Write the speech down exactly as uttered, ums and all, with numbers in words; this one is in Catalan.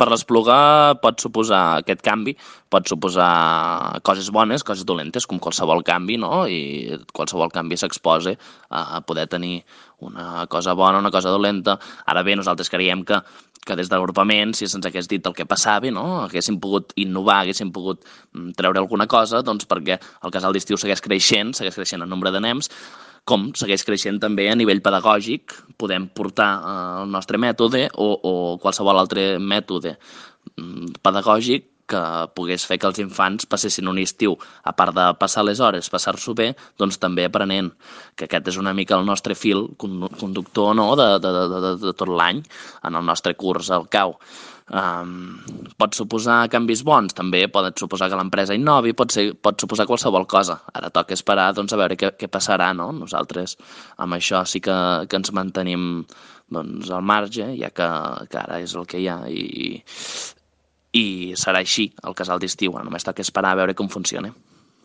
per l'Espluga pot suposar aquest canvi, pot suposar coses bones, coses dolentes, com qualsevol canvi, no? I qualsevol canvi s'exposa a poder tenir una cosa bona, una cosa dolenta. Ara bé, nosaltres creiem que, que des de l'agrupament, si se'ns hagués dit el que passava, no? Haguéssim pogut innovar, haguéssim pogut treure alguna cosa, doncs perquè el casal d'estiu segueix creixent, segueix creixent el nombre de nens, com segueix creixent també a nivell pedagògic, podem portar el nostre mètode o, o qualsevol altre mètode pedagògic que pogués fer que els infants passessin un estiu, a part de passar les hores, passar-s'ho bé, doncs també aprenent, que aquest és una mica el nostre fil conductor, no?, de, de, de, de tot l'any en el nostre curs al cau. Um, pot suposar canvis bons, també pot suposar que l'empresa innovi, pot, ser, pot suposar qualsevol cosa. Ara toca esperar, doncs, a veure què, què passarà, no? Nosaltres amb això sí que, que ens mantenim, doncs, al marge, ja que, que ara és el que hi ha i, i serà així el casal d'estiu. Només toca esperar a veure com funciona.